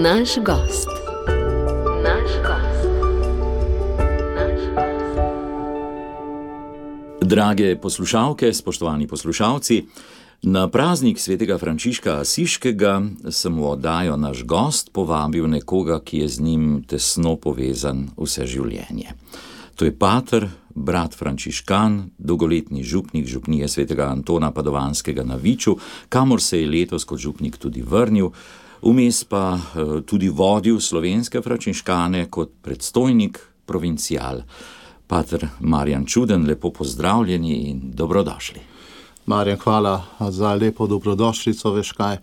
Naš gost. Drage poslušalke, spoštovani poslušalci, na praznik svetega Frančiška Asiškega sem v oddajo Naš gost povabil nekoga, ki je z njim tesno povezan vse življenje. To je pater, brat frančiškan, dolgoletni župnik župnije svetega Antona Padovanskega na Viču, kamor se je letos kot župnik tudi vrnil, vmes pa tudi vodil slovenske frančiškane kot predstojnik provincial. Pater Marjan Čuden, lepo pozdravljeni in dobrodošli. Marjan, hvala za lepo dobrodošlico, veš kaj,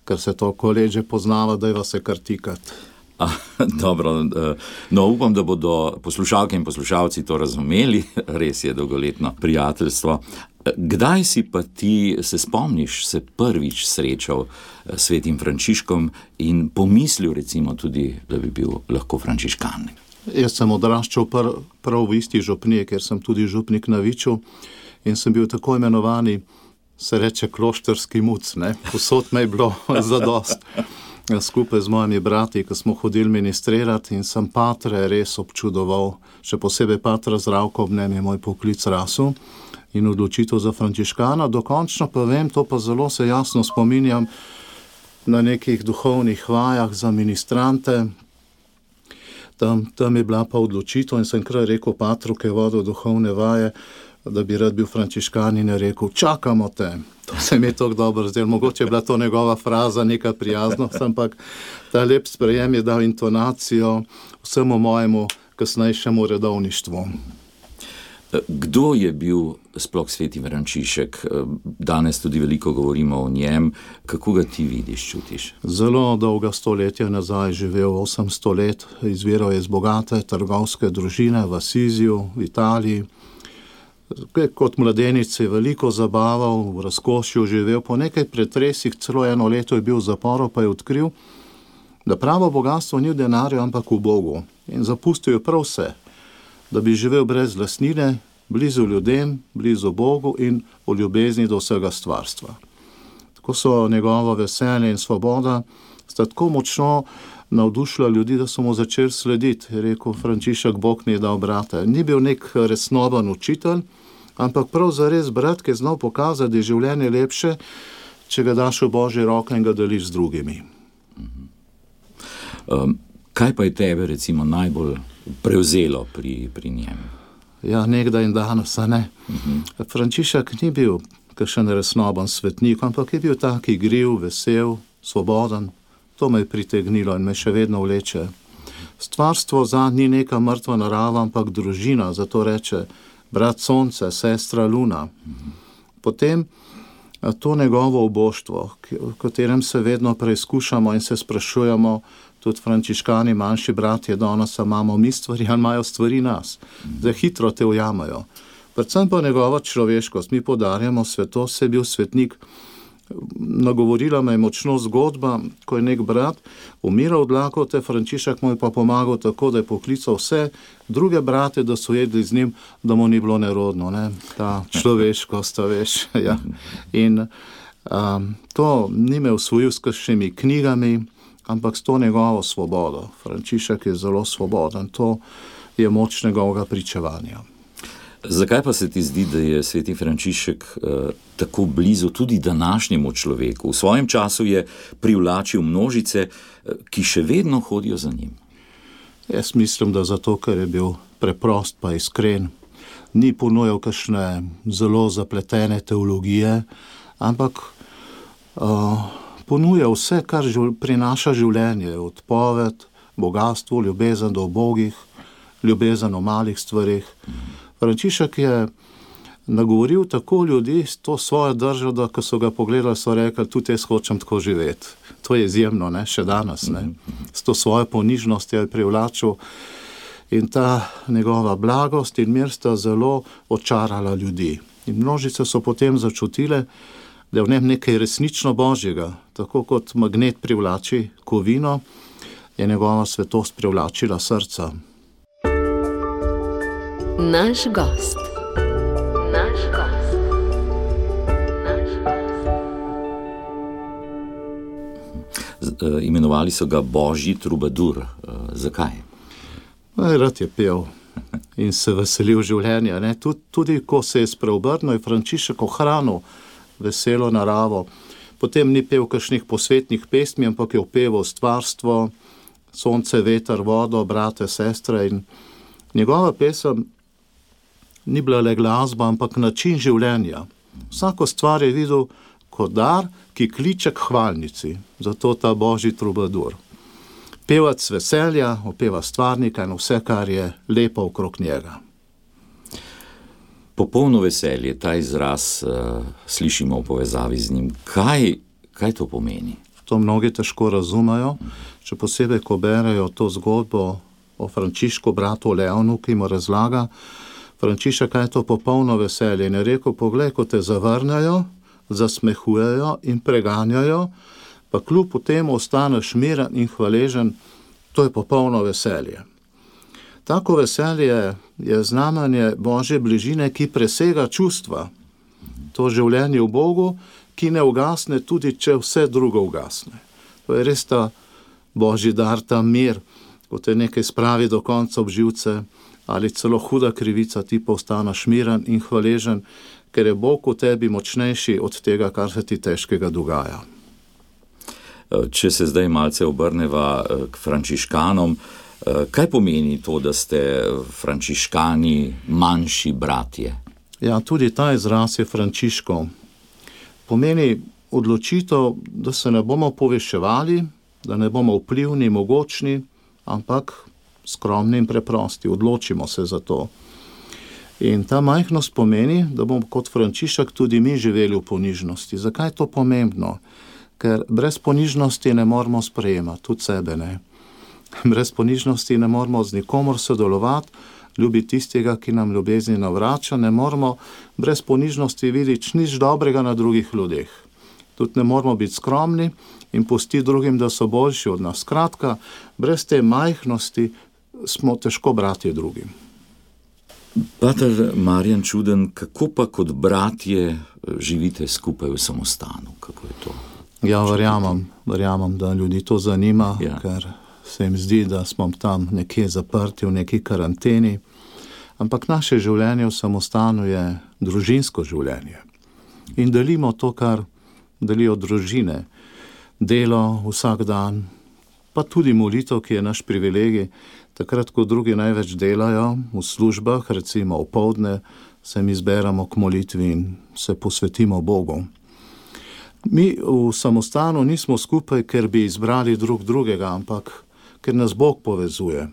ker se toliko let že poznava, da je vas je kar tikat. Dobro, no upam, da bodo poslušalke in poslušalci to razumeli, res je dolgoletno prijateljstvo. Kdaj si pa ti se spomniš, se prvič srečal s svetim Frančiškom in pomislil recimo tudi, da bi bil lahko frančiškan? Jaz sem odraščal prav v isti župniji, ker sem tudi župnik na Viču in sem bil tako imenovani, se reče, kloštrski muc, ne? Povsod me je bilo zadost. Skupaj z mojimi brati, ko smo hodili ministrirati in sem patre res občudoval, še posebej patra Zdravko, ob njem je moj poklic rasel in odločitev za frančiškana. Dokončno pa vem, to pa zelo se jasno spominjam na nekih duhovnih vajah za ministrante. Tam je bila pa odločitev in sem kar rekel patru, ki je vodil duhovne vaje, da bi rad bil frančiškan in je rekel, čakamo te. To se mi je tako dobro zdelo, mogoče je bila to njegova fraza, neka prijaznost, ampak ta lep sprejem je dal intonacijo vsemu mojemu kasnejšemu redovništvu. Kdo je bil sploh sveti Frančišek? Danes tudi veliko govorimo o njem. Kako ga ti vidiš, čutiš? Zelo dolga stoletja nazaj, živel 800 let, izviral je iz bogate trgovske družine v Asiziju, v Italiji. Kot mladenic je veliko zabaval, v razkošju živel, po nekaj pretresih, celo 1 leto je bil v zaporu, pa je odkril, da pravo bogatstvo ni v denarju, ampak v Bogu. In zapustil je prav vse, da bi živel brez lastnine, blizu ljudem, blizu Bogu in v ljubezni do vsega stvarstva. Tako so njegovo veselje in svoboda sta tako močno navdušila ljudi, da so mu začeli slediti. Je rekel Frančišek, Bog mi je dal brate. Ni bil nek resnoben učitelj, ampak prav zares brat, ki je znal pokazati, da je življenje lepše, če ga daš v Božje roke in ga deliš z drugimi. Kaj pa je tebe recimo najbolj prevzelo pri njem? Ja, nekdaj in danes, a ne. Frančišek ni bil kakšen resnoben svetnik, ampak je bil tak igriv, vesel, svoboden. To me je pritegnilo in me še vedno vleče. Stvarstvo zanj ni neka mrtva narava, ampak družina, zato reče brat sonce, sestra luna. Potem to njegovo oboštvo, v katerem se vedno preizkušamo in se sprašujemo, tudi frančiškani, manjši bratje, danes imamo mi stvari, ali imajo stvari nas. Zdaj hitro te ujamajo. Predvsem pa njegova človeškost. Mi podarjamo svetost, se je bil svetnik. Nagovorila me je močno zgodba, ko je nek brat umiral od lakote, Frančišek mu je pa pomagal tako, da je poklical vse druge brate, da so jedli z njim, da mu ni bilo nerodno, ne? Ta človeškost, veš. Ja. In to ni me osvojil s kakšnimi knjigami, ampak s to njegovo svobodo. Frančišek je zelo svoboden, to je moč njegovega pričevanja. Zakaj pa se ti zdi, da je sveti Frančišek tako blizu tudi današnjemu človeku? V svojem času je privlačil množice, ki še vedno hodijo za njim. Jaz mislim, da zato, ker je bil preprost pa iskren. Ni ponujal kakšne zelo zapletene teologije, ampak ponuja vse, kar prinaša življenje. Odpoved, bogatstvo, ljubezen do ubogih, ljubezen o malih stvarih. Frančišek je nagovoril tako ljudi s to svojo držo, da ko so ga pogledali, so rekli, tudi jaz hočem tako živeti. To je izjemno, ne, še danes, ne. S to svojo ponižnost je privlačil in ta njegova blagost in mir sta zelo očarala ljudi. In množice so potem začutile, da je v njem nekaj resnično božjega. Tako kot magnet privlači kovino, je njegova svetost privlačila srca. Naš gost. Imenovali so ga Božji trubadur. Zakaj? Rad je pel in se veselil življenja. Ne? Tudi ko se je spreobrnil, je Frančišek ohranil veselo naravo. Potem ni pel kakšnih posvetnih pesmi, ampak je opeval stvarstvo, sonce, veter, vodo, brate, sestre, in njegova pesem ni bila le glasba, ampak način življenja. Vsako stvar je videl kot dar, ki kliče k hvalnici, zato ta Božji trubadur. Pevec veselja, opeva stvarnika in vse, kar je lepo okrog njega. Popolno veselje, ta izraz slišimo v povezavi z njim. Kaj to pomeni? To mnogi težko razumejo, še posebej, ko berejo to zgodbo o Frančišku, bratu Leonu, ki mu razlaga, Frančišek, kaj je to popolno veselje. In je rekel, poglej, ko te zavrnejo, zasmehujejo in preganjajo, pa kljub temu ostaneš miren in hvaležen, to je popolno veselje. Tako veselje je znamenje Božje bližine, ki presega čustva. To življenje v Bogu, ki ne ugasne, tudi če vse drugo ugasne. To je res ta Božji dar, ta mir, ko te nekaj spravi do konca obživce, ali celo huda krivica, ti pa ostaneš miren in hvaležen, ker je Bog v tebi močnejši od tega, kar se ti težkega dogaja. Če se zdaj malce obrneva k frančiškanom, kaj pomeni to, da ste frančiškani manjši bratje? Ja, tudi ta izraz je Frančiškov. Pomeni odločitev, da se ne bomo poveševali, da ne bomo vplivni, mogočni, ampak skromni in preprosti. Odločimo se za to. In ta majhnost pomeni, da bomo kot Frančišek tudi mi živeli v ponižnosti. Zakaj je to pomembno? Ker brez ponižnosti ne moramo sprejemati, tudi sebe ne. Brez ponižnosti ne moramo z nikomor sodelovati, ljubiti tistega, ki nam ljubezni navrača, ne moramo brez ponižnosti videti nič dobrega na drugih ljudeh. Tudi ne moramo biti skromni in pustiti drugim, da so boljši od nas. Skratka, brez te majhnosti smo težko bratje drugim. Pater Marjan Čuden, kako pa kot bratje živite skupaj v samostanu? Kako je to? Ja, verjamem, da ljudi to zanima, ja. Ker se jim zdi, da smo tam nekje zaprti v neki karanteni, ampak naše življenje v samostanu je družinsko življenje. In delimo to, kar delijo družine, delo vsak dan, pa tudi molitev, ki je naš privilegij. Takrat, ko drugi največ delajo v službah, recimo opoldne, se mi zberemo k molitvi in se posvetimo Bogu. Mi v samostanu nismo skupaj, ker bi izbrali drug drugega, ampak ker nas Bog povezuje.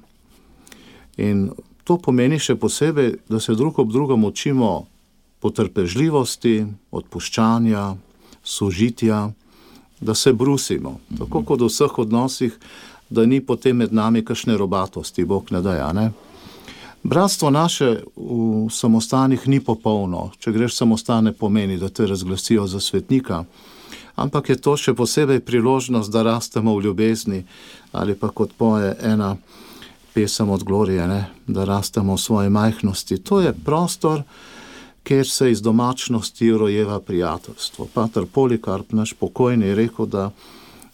In to pomeni še posebej, da se drug ob drugom učimo potrpežljivosti, odpuščanja, sožitja, da se brusimo. Tako kot v vseh odnosih, da ni potem med nami kakšne robatosti, Bog ne daje, ne? Bratstvo naše v samostanih ni popolno. Če greš samostan, ne pomeni, da te razglasijo za svetnika, ampak je to še posebej priložnost, da rastemo v ljubezni, ali pa kot poje ena pesem od Glorije, ne? Da rastemo v svoji majhnosti. To je prostor, kjer se iz domačnosti rojeva prijateljstvo. Pater Polikarp, naš pokojni, je rekel, da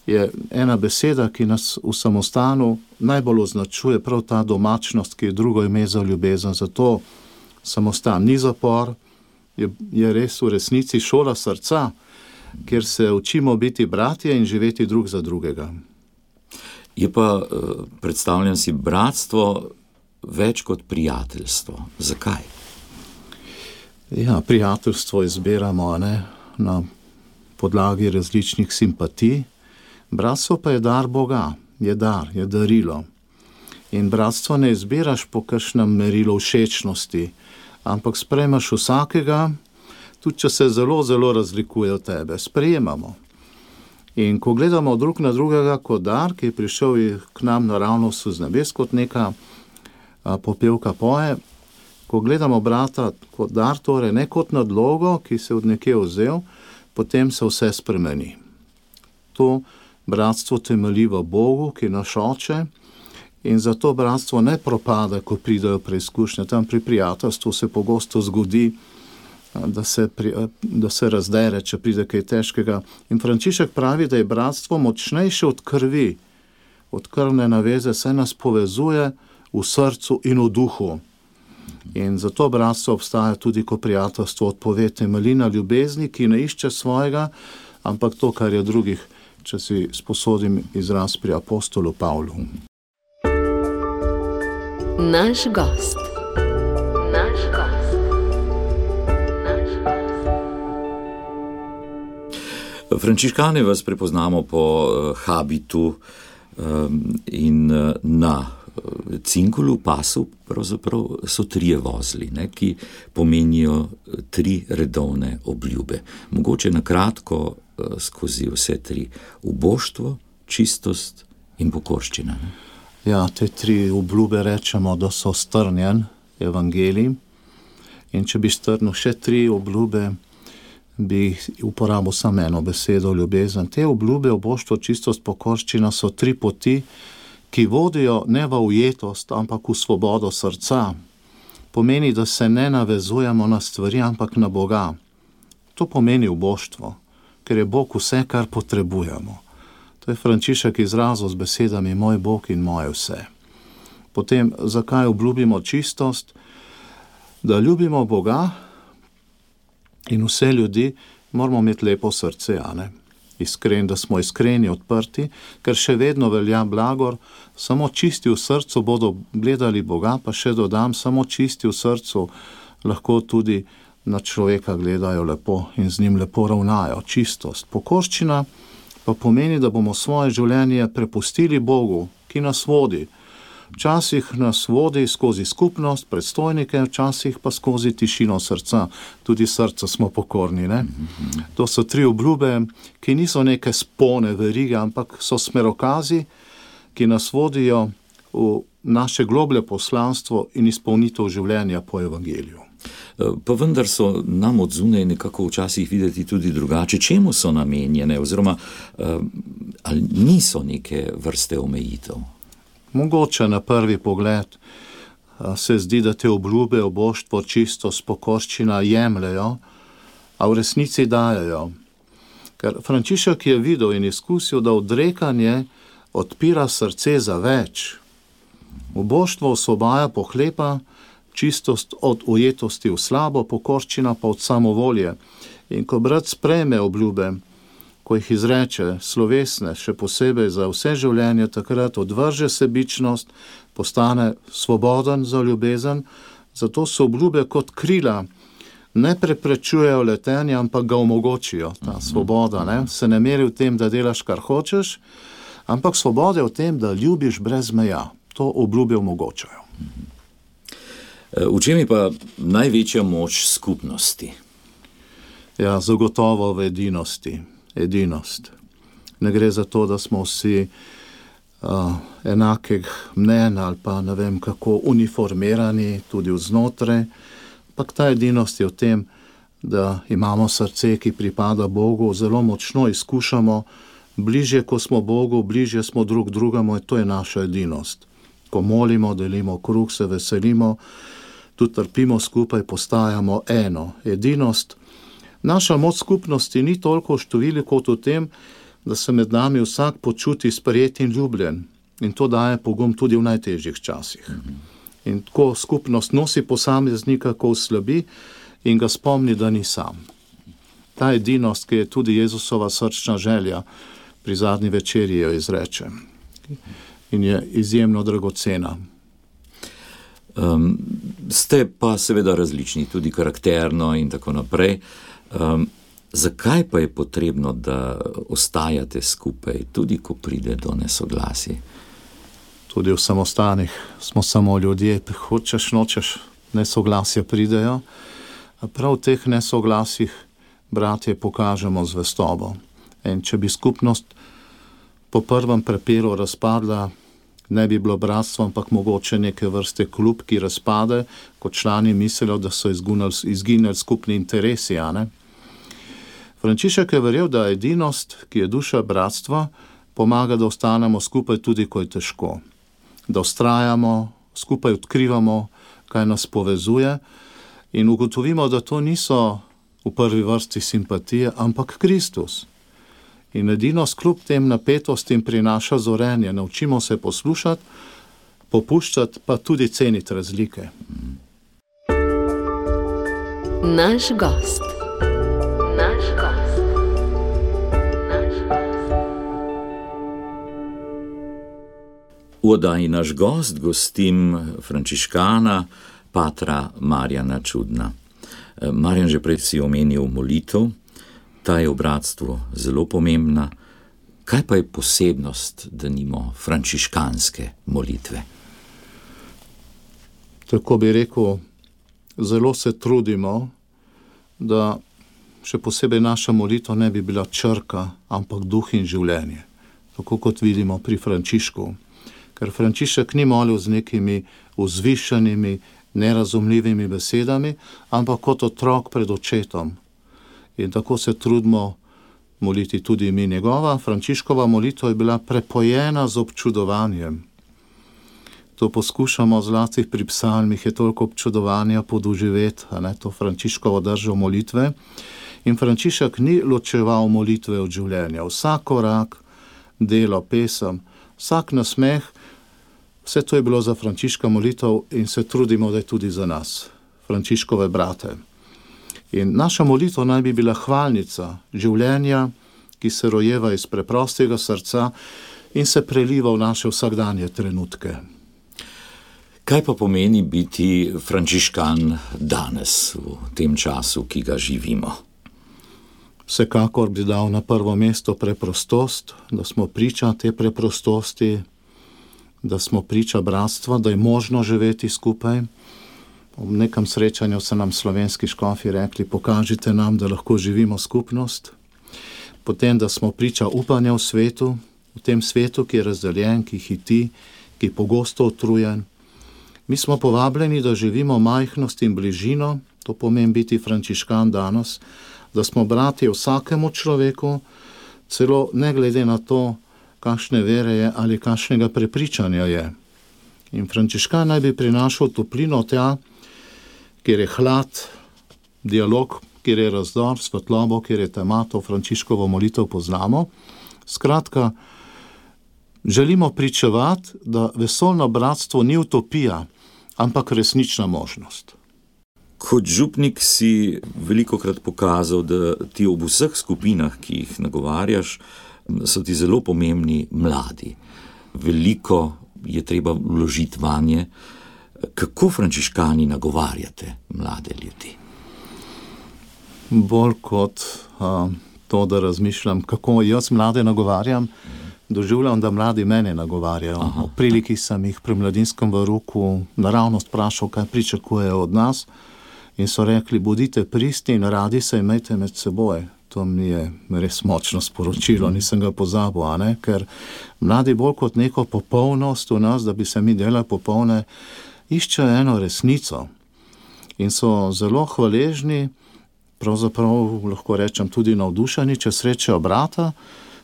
je ena beseda, ki nas v samostanu najbolj označuje, prav ta domačnost, ki je drugo ime za ljubezen. Zato samostan ni zapor, je res v resnici šola srca, kjer se učimo biti bratje in živeti drug za drugega. Je pa, predstavljam si, bratstvo več kot prijateljstvo. Zakaj? Ja, prijateljstvo izbiramo, ne, na podlagi različnih simpatij. Bratstvo pa je dar Boga, je darilo. In bratstvo ne izbiraš po kakšnem merilu všečnosti, ampak sprejmaš vsakega, tudi če se zelo, zelo razlikuje od tebe. Sprejemamo. In ko gledamo drug na drugega kot dar, ki je prišel k nam naravnost z nebes, kot neka popevka poje, ko gledamo brata kot dar, torej ne kot nadlogo, ki se od nekje vzel, potem se vse spremeni. To bratstvo temelji v Bogu, ki naš oče, in zato bratstvo ne propada, ko pridejo preizkušnje. Tam pri prijateljstvu se pogosto zgodi, da se razdere, če pride kaj težkega. In Frančišek pravi, da je bratstvo močnejše od krvi, od krvne naveze, saj nas povezuje v srcu in v duhu. In zato bratstvo obstaja tudi, ko prijateljstvo odpove, temelji na ljubezni, ki ne išče svojega, ampak to, kar je drugih, če si sposodim izraz pri apostolu Pavlu. Naš gost. Frančiškane vas prepoznamo po habitu in na cinkulu, pasu, pravzaprav so 3 vozli, ki pomenijo 3 redovne obljube. Mogoče na kratko skozi vse 3. Uboštvo, čistost in pokorščina. Ja, te 3 obljube rečemo, da so strnjen evangelij. In če bi strnil še 3 obljube, bi uporabil samo eno besedo, ljubezen. Te obljube, uboštvo, čistost, pokorščina so 3 poti, ki vodijo ne v ujetost, ampak v svobodo srca. Pomeni, da se ne navezujemo na stvari, ampak na Boga. To pomeni uboštvo, ker je Bog vse, kar potrebujemo. To je Frančišek izrazil z besedami moj Bog in moje vse. Potem, zakaj obljubimo čistost? Da ljubimo Boga in vse ljudi, moramo imeti lepo srce, da smo iskreni, odprti, ker še vedno velja blagor, samo čisti v srcu bodo gledali Boga, pa še dodam, samo čisti v srcu lahko tudi na človeka gledajo lepo in z njim lepo ravnajo. Čistost. Pokorščina pa pomeni, da bomo svoje življenje prepustili Bogu, ki nas vodi. Včasih nas vodi skozi skupnost, predstojnike, včasih pa skozi tišino srca. Tudi srca smo pokorni, ne? To so 3 obljube, ki niso neke spone verige, ampak so smerokazi, ki nas vodijo v naše globlje poslanstvo in izpolnitev življenja po evangeliju. Pa vendar so nam od zunaj nekako včasih videti tudi drugače. Čemu so namenjene, oziroma ali niso neke vrste omejitev? Mogoče na prvi pogled se zdi, da te obljube, uboštvo, čistost, pokorščina jemljajo, a v resnici dajejo. Ker Frančišek je videl in izkusil, da odrekanje odpira srce za več. Uboštvo osvobaja pohlepa, čistost od ujetosti v slabo, pokorščina pa od samovolje. In ko brat sprejme obljube, ko jih izreče slovesne, še posebej za vse življenje, takrat odvrže sebičnost, postane svoboden za ljubezen, zato so obljube kot krila, ne preprečujejo letenja, ampak ga omogočijo, ta svoboda, se ne meri v tem, da delaš, kar hočeš, ampak svoboda je v tem, da ljubiš brez meja. To obljube omogočajo. V čem je pa največja moč skupnosti? Ja, zagotovo v edinosti. Edinost. Ne gre za to, da smo vsi enakih mnen ali pa ne vem kako uniformirani tudi vznotraj, ampak ta edinost je v tem, da imamo srce, ki pripada Bogu, zelo močno izkušamo, bližje, ko smo Bogu, bližje smo drug drugemu, in to je naša edinost. Ko molimo, delimo kruh, se veselimo, tudi trpimo skupaj, postajamo eno. Edinost. Naša moč skupnosti ni toliko v številu kot v tem, da se med nami vsak počuti sprejet in ljubljen. In to daje pogum tudi v najtežjih časih. In ko skupnost nosi posameznika, ko oslabi in ga spomni, da ni sam. Ta edinost, ki je tudi Jezusova srčna želja, pri zadnji večerji jo izreče. In je izjemno dragocena. Ste pa seveda različni, tudi karakterno in tako naprej. Zakaj pa je potrebno, da ostajate skupaj, tudi ko pride do nesoglasij? Tudi v samostanih smo samo ljudje, hočeš, nočeš, nesoglasja pridejo. A prav v teh nesoglasjih, bratje, pokažemo zvestobo. In če bi skupnost po prvem prepiru razpadla, ne bi bilo bratstvo, ampak mogoče neke vrste klub, ki razpade, ko člani mislijo, da so izginili skupni interesi, Frančišek je verjel, da edinost, ki je duša bratstva, pomaga, da ostanemo skupaj tudi, ko je težko. Da vztrajamo, skupaj odkrivamo, kaj nas povezuje In ugotovimo, da to niso v prvi vrsti simpatije, ampak Kristus. In edino skljub tem napetostim prinaša zorenje. Naučimo se poslušati, popuščati, pa tudi ceniti razlike. Naš gost. Naš gost. Naš gost. V oddaji Naš gost gostim frančiškana patra Marjana Čudna. Marjan, že prej si omenil molitev, ta je v bratstvu zelo pomembna. Kaj pa je posebnost, denimo, frančiškanske molitve? Tako bi rekel, zelo se trudimo, da še posebej naša molitev ne bi bila črka, ampak duh in življenje. Tako kot vidimo pri Frančišku. Ker Frančišek ni molil z nekimi vzvišenimi, nerazumljivimi besedami, ampak kot otrok pred očetom. In tako se trudimo moliti tudi mi. Njegova Frančiškova molitev je bila prepojena z občudovanjem. To poskušamo zlasti pri psalmih, je toliko občudovanja podoživeti, to Frančiškovo držo molitve. In Frančišek ni ločeval molitve od življenja. Vsak korak, delo, pesem, vsak nasmeh, vse to je bilo za Frančiška molitev in se trudimo, da je tudi za nas, Frančiškove brate. In naša molitev naj bi bila hvalnica življenja, ki se rojeva iz preprostega srca in se preliva v naše vsakdanje trenutke. Kaj pa pomeni biti frančiškan danes, v tem času, ki ga živimo? Vsekakor bi dal na prvo mesto preprostost, da smo priča te preprostosti, da smo priča bratstva, da je možno živeti skupaj. V nekem srečanju so nam slovenski škofi rekli, pokažite nam, da lahko živimo skupnost. Potem, da smo priča upanja v svetu, v tem svetu, ki je razdeljen, ki hiti, ki je pogosto utrujen. Mi smo povabljeni, da živimo majhnost in bližino, to pomeni biti frančiškan danes, da smo bratje vsakemu človeku, celo ne glede na to, kakšne vere je ali kakšnega prepričanja je. In frančiškan naj bi prinašal toplino tja, kjer je hlad, dialog, kjer je razdor, svetlobo, kjer je tema, to Frančiškovo molitev poznamo. Skratka, želimo pričevati, da vesoljno bratstvo ni utopija, ampak resnična možnost. Kot župnik si velikokrat pokazal, da ti ob vseh skupinah, ki jih nagovarjaš, so ti zelo pomembni mladi. Veliko je treba vložiti vanje. Kako frančiškani nagovarjate mlade ljudi? Bolj kot to, da razmišljam, kako jaz mlade nagovarjam, doživljam, da mladi mene nagovarjajo. V priliki sem jih pri mladinskem varuku naravnost vprašal, kaj pričakujejo od nas, in so rekli, bodite pristni in radi se imejte med seboj. To mi je res močno sporočilo, nisem ga pozabil, ker mladi bolj kot neko popolnost v nas, da bi se mi delali popolne, iščejo eno resnico in so zelo hvaležni, pravzaprav lahko rečem tudi navdušeni, če srečajo brata,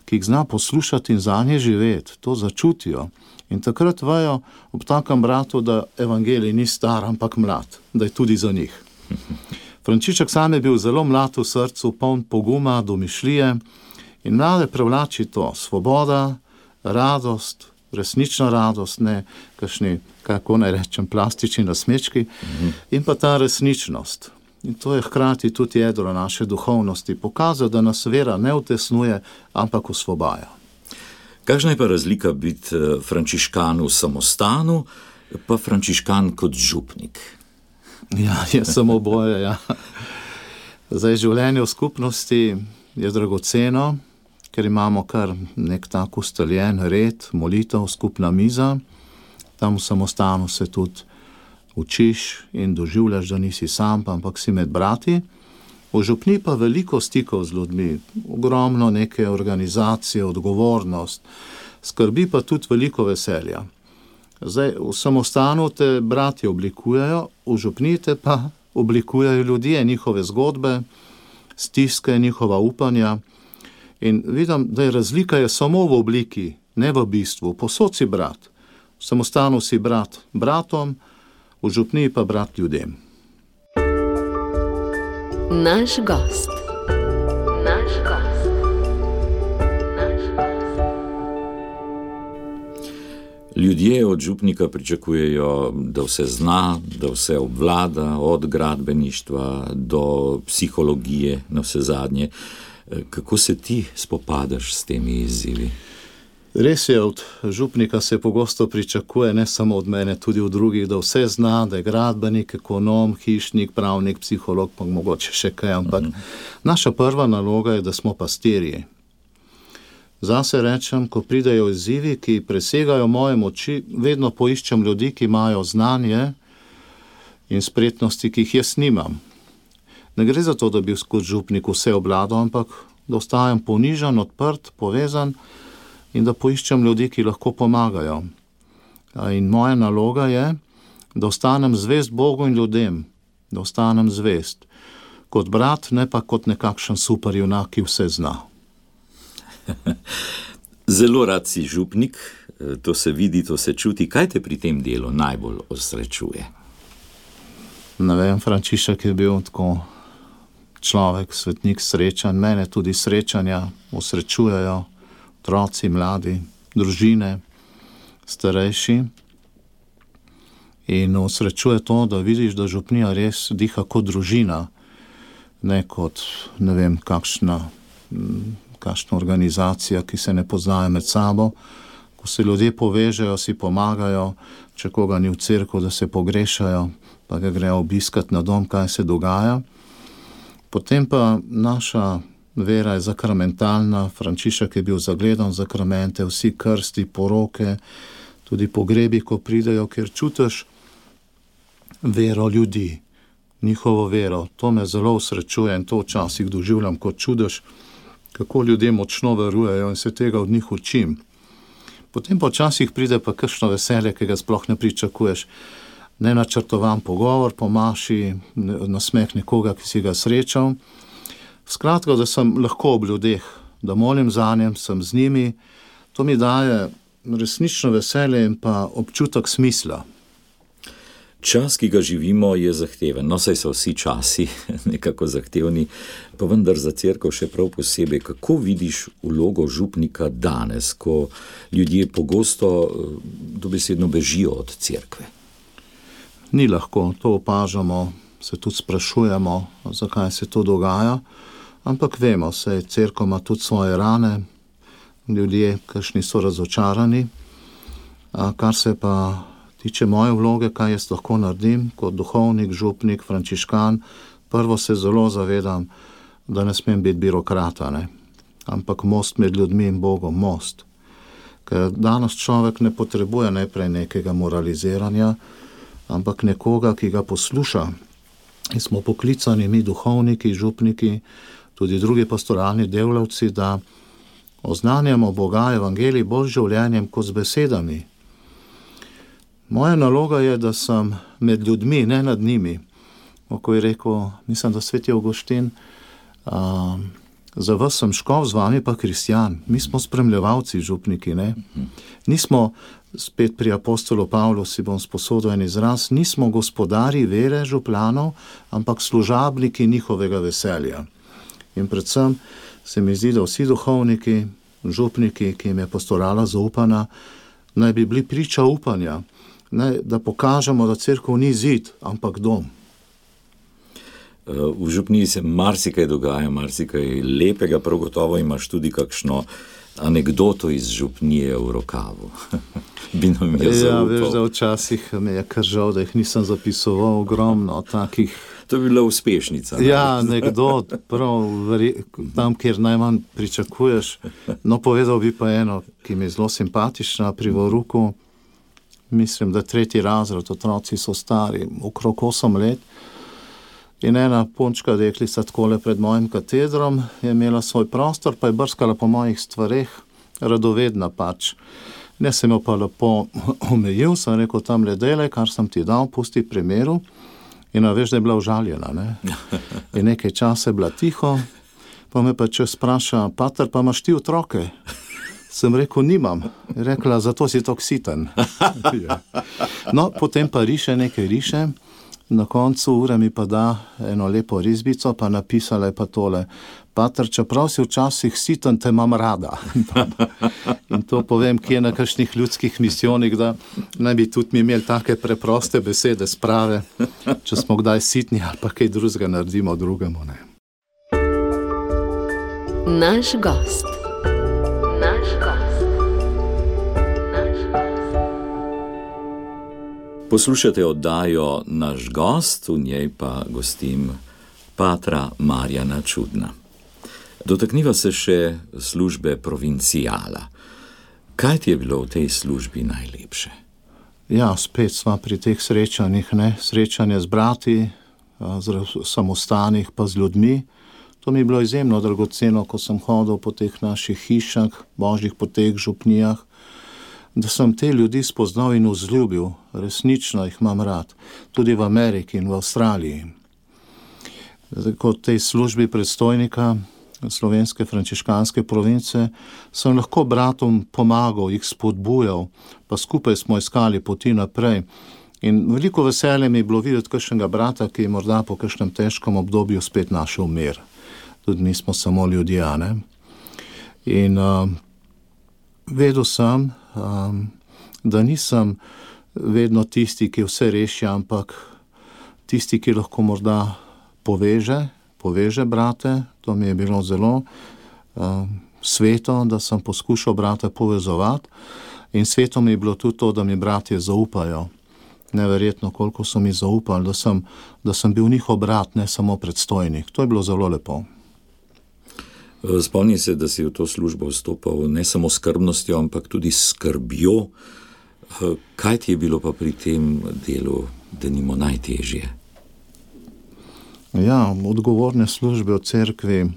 ki jih zna poslušati in zanje živeti, to začutijo. In takrat vejo ob takem bratu, da evangelij ni star, ampak mlad, da je tudi za njih. Frančišek sam je bil zelo mlad v srcu, poln poguma, domišljije in mlade privlači to, svoboda, radost, resnična radost, ne kakšni, kako naj rečem, plastični nasmečki, in pa ta resničnost. In to je hkrati tudi jedro naše duhovnosti, pokazal, da nas vera ne utesnuje, ampak osvobaja. Kakšna je pa razlika biti frančiškan v samostanu, pa frančiškan kot župnik? Ja, je samo oboje, ja. Zdaj, življenje v skupnosti je dragoceno, ker imamo kar nek tak ustaljen red, molitev, skupna miza. Tam v samostanu se tudi učiš in doživljaš, da nisi sam, ampak si med brati. V župni pa veliko stikov z ljudmi, ogromno neke organizacije, odgovornost, skrbi pa tudi veliko veselja. Zdaj, v samostanu te bratje oblikujejo, v župni te pa oblikujejo ljudje, njihove zgodbe, stiske, njihova upanja. In vidim, da je razlika samo v obliki, ne v bistvu. Posod si brat. V samostanu si brat bratom, v župni pa brat ljudem. Naš gost. Naš gost. Naš gost. Ljudje od župnika pričakujejo, da vse zna, da vse obvlada, od gradbeništva do psihologije na vse zadnje. Kako se ti spopadaš s temi izzivi? Res je, od župnika se pogosto pričakuje, ne samo od mene, tudi od drugih, da vse zna, da je gradbenik, ekonom, hišnik, pravnik, psiholog, pa mogoče še kaj, ampak naša prva naloga je, da smo pastirji. Zase rečem, ko pridejo izzivi, ki presegajo moje moči, vedno poiščem ljudi, ki imajo znanje in spretnosti, ki jih jaz nimam. Ne gre za to, da bi kot župnik vse obvladal, ampak da ostajam ponižan, odprt, povezan in da poiščem ljudi, ki lahko pomagajo. In moja naloga je, da ostanem zvest Bogu in ljudem, da ostanem zvest kot brat, ne pa kot nekakšen superjunak, ki vse zna. Zelo rad si župnik, to se vidi, to se čuti. Kaj te pri tem delu najbolj osrečuje? Ne vem, Frančišek je bil tako človek, svetnik srečanj, mene tudi srečanja osrečujejo, otroci, mladi, družine, starejši. In osrečuje to, da vidiš, da župnija res diha kot družina, ne kot, ne vem, kakšna organizacija, ki se ne poznajo med sabo. Ko se ljudje povežejo, si pomagajo, če koga ni v cerkvu, da se pogrešajo, pa ga grejo obiskat na dom, kaj se dogaja. Potem pa naša vera je zakramentalna, Frančišek je bil zagledan zakramente, vsi krsti, poroke, tudi pogrebi, ko pridejo, ker čutiš vero ljudi, njihovo vero. To me zelo osrečuje in to včasih doživljam kot čudež, kako ljudje močno verujejo in se tega od njih učim. Potem pa včasih pride pa kakšno veselje, ki ga sploh ne pričakuješ. Nenačrtovan pogovor po maši, nasmeh nekoga, ki si ga srečal. Skratka, da sem lahko ob ljudeh, da molim zanjem, sem z njimi. To mi daje resnično veselje in pa občutek smisla. Čas, ki ga živimo, je zahteven. No, saj so vsi časi nekako zahtevni, pa vendar za cerkev še prav posebej. Kako vidiš vlogo župnika danes, ko ljudje pogosto dobesedno bežijo od cerkve? Ni lahko, to opažamo, se tudi sprašujemo, zakaj se to dogaja, ampak vemo, saj cerkev ima tudi svoje rane, ljudje, kakšni so razočarani. Kar se pa tiče moje vloge, kaj jaz lahko naredim kot duhovnik, župnik, frančiškan, prvo se zelo zavedam, da ne smem biti birokrata, ne? Ampak most med ljudmi in Bogom, most. Ker danes človek ne potrebuje najprej nekega moraliziranja, ampak nekoga, ki ga posluša. In smo poklicani mi duhovniki, župniki, tudi drugi pastoralni delavci, da oznanjamo Boga, evangelij bolj življenjem kot z besedami. Moja naloga je, da sem med ljudmi, ne nad njimi. Ko je rekel, mislim, da sveti Avguštin, za vas sem škof, z vami pa kristjan. Mi smo spremljevalci, župniki, ne? Nismo, spet pri apostolu Pavlu si bom sposodil en izraz, nismo gospodari vere župljanov, ampak služabniki njihovega veselja. In predvsem se mi zdi, da vsi duhovniki, župniki, ki jim je pastorala zaupana, naj bi bili priča upanja, da pokažemo, da cerkev ni zid, ampak dom. V župniji se marsikaj dogaja, marsikaj lepega, prav gotovo imaš tudi kakšno anekdoto iz župnije v rokavu. Bi nam je zaupal. Ja, veš, da včasih me je kar žal, da jih nisem zapisoval ogromno takih. To je bila uspešnica. Ja, anekdot, prav tam, kjer najmanj pričakuješ. No, povedal bi pa eno, ki mi je zelo simpatična pri Voruku. Mislim, da 3. razred, otroci so stari, okrog 8 let. In ena punčka deklica takole pred mojim katedrom je imela svoj prostor, pa je brskala po mojih stvareh, radovedna pač. Ne sem jo pa lepo omejil, sem rekel, tam le delaj, kar sem ti dal, pusti pri miru. In veš, da je bila užaljena, ne? In nekaj časa je bila tiho, pa me pa če spraša, pater, pa imaš ti otroke? Sem rekel, nimam. Je rekla, zato si tok siten. Ja. No, potem pa nekaj riše. Na koncu ure mi pa da eno lepo risbico, pa napisala je pa tole: Pater, čeprav si včasih siten, te imam rada. In to povem, ki je na kakšnih ljudskih misijonih, da naj bi tudi mi imeli take preproste besede sprave, če smo kdaj sitni ali pa kaj drugega naredimo drugemu, ne. Naš gost. Naš gost. Naš gost. Poslušate oddajo Naš gost, v njej pa gostim patra Marjana Čudna. Dotakniva se še službe provincijala. Kaj ti je bilo v tej službi najlepše? Ja, spet sva pri teh srečanjih, ne. Srečanje z brati, samostanih pa z ljudmi. To mi je bilo izjemno dragoceno, ko sem hodil po teh naših hišah, božjih poteh, župnijah, da sem te ljudi spoznal in vzljubil. Resnično jih imam rad. Tudi v Ameriki in v Avstraliji. Kot tej službi predstojnika slovenske frančiškanske province sem lahko bratom pomagal, jih spodbujal, pa skupaj smo iskali poti naprej. In veliko veselje mi je bilo videti kakšnega brata, ki je morda po kakšnem težkem obdobju spet našel mir. Tudi mi smo samo ljudje, ne? In vedel sem, da nisem vedno tisti, ki vse reši, ampak tisti, ki lahko morda poveže brate. To mi je bilo zelo sveto, da sem poskušal brate povezovati. In sveto mi je bilo tudi to, da mi bratje zaupajo. Neverjetno, koliko so mi zaupali, da sem bil njihov brat, ne samo predstojnik. To je bilo zelo lepo. Spomni se, da si v to službo vstopal ne samo s skrbnostjo, ampak tudi s skrbjo. Kaj ti je bilo pa pri tem delu, denimo, najtežje? Ja, odgovorne službe v cerkvi,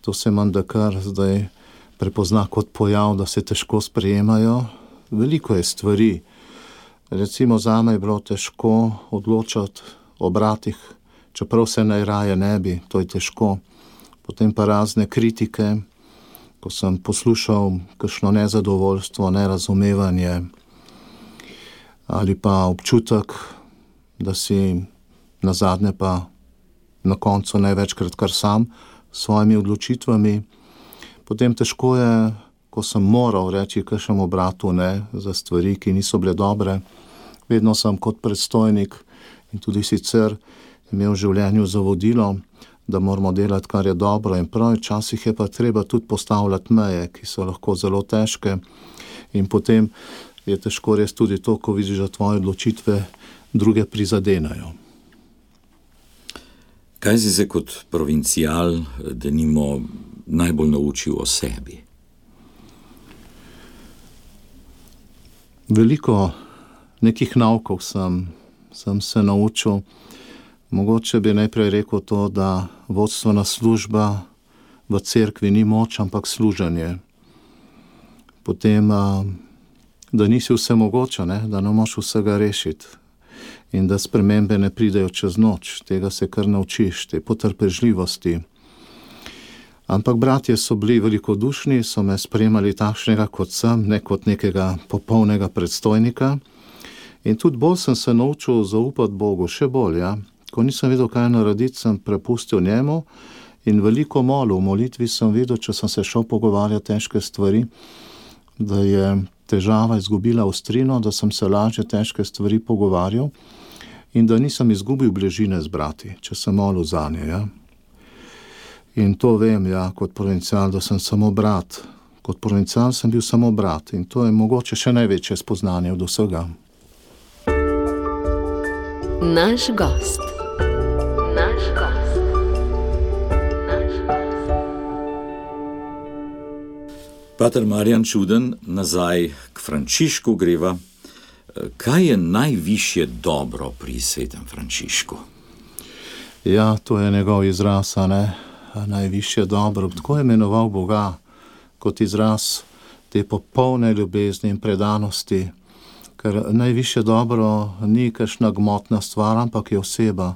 to se menda kar zdaj prepozna kot pojav, da se težko sprejemajo. Veliko je stvari. Recimo zame je bilo težko odločati o bratih, čeprav se najraje ne bi, to je težko. Potem pa razne kritike, ko sem poslušal kakšno nezadovoljstvo, nerazumevanje ali pa občutek, da si nazadnje pa na koncu največkrat kar sam s svojimi odločitvami. Potem težko je, ko sem moral reči kakšnemu bratu ne za stvari, ki niso bile dobre. Vedno sem kot predstojnik in tudi sicer imel v življenju zavodilo, da moramo delati, kar je dobro in prav. Včasih je pa treba tudi postavljati meje, ki so lahko zelo težke. In potem je težko res tudi to, ko vidiš, da tvoje odločitve druge prizadenajo. Kaj si se kot provincijal, denimo, najbolj naučil o sebi? Veliko nekih naukov sem se naučil. Mogoče bi najprej rekel to, da vodstvena služba v cerkvi ni moč, ampak služenje. Potem, da nisi vsemogoča, ne? Da ne moš vsega rešiti. In da spremembe ne pridejo čez noč. Tega se kar naučiš, te potrpežljivosti. Ampak bratje so bili velikodušni, so me sprejemali takšnega, kot sem, ne kot nekega popolnega predstojnika. In tudi bolj sem se naučil zaupati Bogu, še bolj, ja. Ko nisem vedel, kaj narediti, sem prepustil njemu in veliko molil. V molitvi sem videl, če sem se šel pogovarjati težke stvari, da je težava izgubila ostrino, da sem se lažje težke stvari pogovarjal in da nisem izgubil bližine z brati, če sem molil zanje, ja. In to vem, ja, kot provincial, da sem samo brat. Kot provincial sem bil samo brat in to je mogoče še največje spoznanje od vsega. Naš gost. Naš gost. Naš gost. Pater Marjan Čuden, nazaj k Frančišku greva. Kaj je najvišje dobro pri svetem Frančišku? Ja, to je njegov izraz, ne? Najvišje dobro. Tako je imenoval Boga kot izraz te popolne ljubezni in predanosti. Ker najvišje dobro ni kakšna gmotna stvar, ampak je oseba,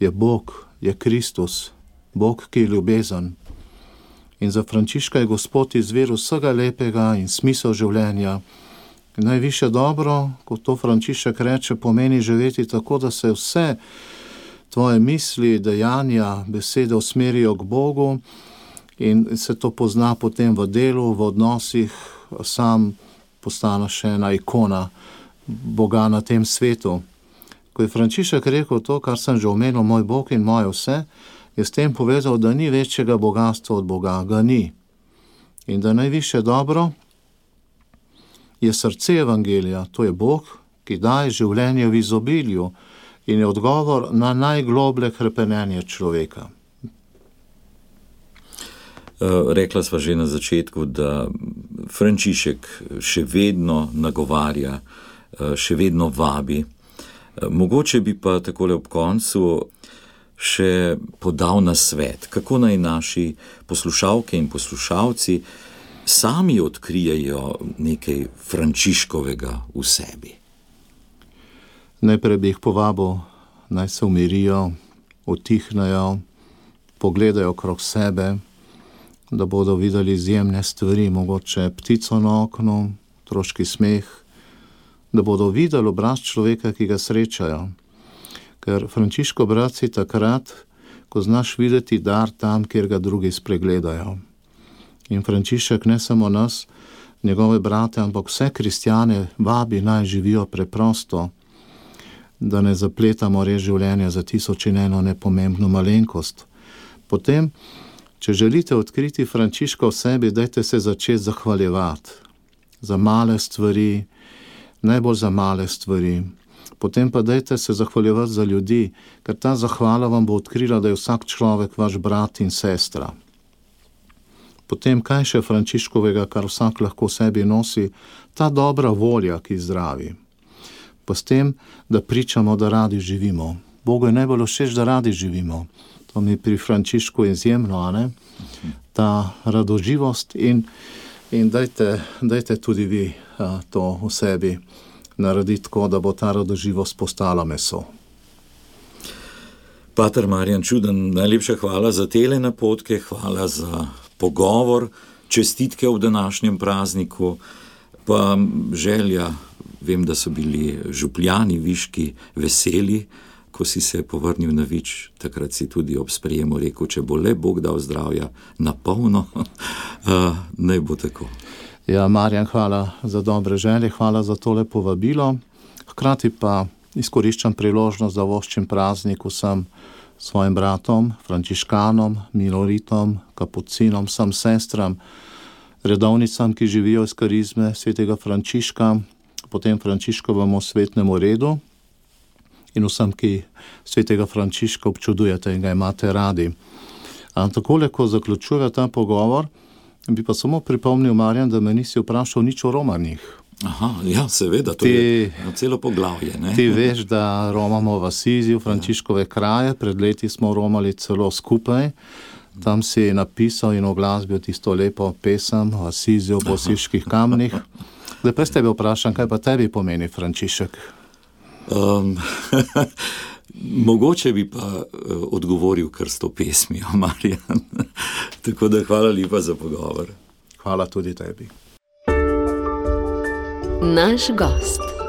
je Bog, je Kristus, Bog, ki je ljubezen. In za Frančiška je Gospod izvir vsega lepega in smisel življenja Najvišje dobro, kot to Frančišek reče, pomeni živeti tako, da se vse tvoje misli, dejanja, besede usmerijo k Bogu in se to pozna potem v delu, v odnosih, sam postaneš ena ikona Boga na tem svetu. Ko je Frančišek rekel to, kar sem že omenil, moj Bog in moje vse, je s tem povedal, da ni večjega bogatstva od Boga, ga ni. In da najvišje dobro je srce evangelija, to je Bog, ki daje življenje v izobilju in je odgovor na najgloblje hrepenenje človeka. Rekla sva že na začetku, da Frančišek še vedno nagovarja, še vedno vabi. Mogoče bi pa takole ob koncu še podal nasvet, kako naj naši poslušalke in poslušalci sami odkrijejo nekaj Frančiškovega v sebi. Najprej bi jih povabil, naj se umirijo, utihnejo, pogledajo okrog sebe, da bodo videli izjemne stvari, mogoče ptico na oknu, otroški smeh, da bodo videli obraz človeka, ki ga srečajo. Ker Frančiškov brat si takrat, ko znaš videti dar tam, kjer ga drugi spregledajo. In Frančišek ne samo nas, njegove brate, ampak vse kristjane vabi naj živijo preprosto, da ne zapletamo res življenja za 1001 nepomembno malenkost. Potem, če želite odkriti Frančiška v sebi, dajte se začeti zahvaljevati za male stvari, najbolj za male stvari. Potem pa dajte se zahvaljevati za ljudi, ker ta zahvala vam bo odkrila, da je vsak človek vaš brat in sestra. Potem, kaj še Frančiškovega, kar vsak lahko v sebi nosi, ta dobra volja, ki zdravi. Pa s tem, da pričamo, da radi živimo. Bogu je najbolj všeč, da radi živimo. To mi pri Frančišku izjemno, a ne? Ta radoživost in dajte tudi vi to v sebi narediti tako, da bo ta radoživost postala meso. Pater Marjan Čuden, najlepša hvala za tele napotke, hvala za pogovor, čestitke v današnjem prazniku, pa želja, vem, da so bili župljani viški veseli, ko si se povrnil na Vič, takrat si tudi ob sprejemu rekel, če bo le Bog dal zdravja na polno, naj bo tako. Ja, Marjan, hvala za dobre želje, hvala za tole povabilo. Hkrati pa izkoriščam priložnost, da voščim praznik vsem svojim bratom, frančiškanom, minoritom, kapucinom, vsem sestram, redovnicam, ki živijo iz karizme svetega Frančiška, potem Frančiškovemu svetnemu redu in vsem, ki svetega Frančiška občudujete in ga imate radi. Takole, ko zaključuje ta pogovor, bi pa samo pripomnil, Marjan, da me nisi vprašal nič o romanjih. Aha, ja, seveda, to je celo poglavje, ne? Ti veš, da romamo v Asiziju, Frančiškove kraje, pred leti smo romali celo skupaj, tam si napisal in oglasbil tisto lepo pesem o Asiziju, o Osiških kamnih. Zdaj pa s tebe vprašam, kaj pa tebi pomeni Frančišek? Mogoče bi pa odgovoril kar s to pesmijo, Marjan. Tako da hvala lepa za pogovor. Hvala tudi tebi. Naš gost.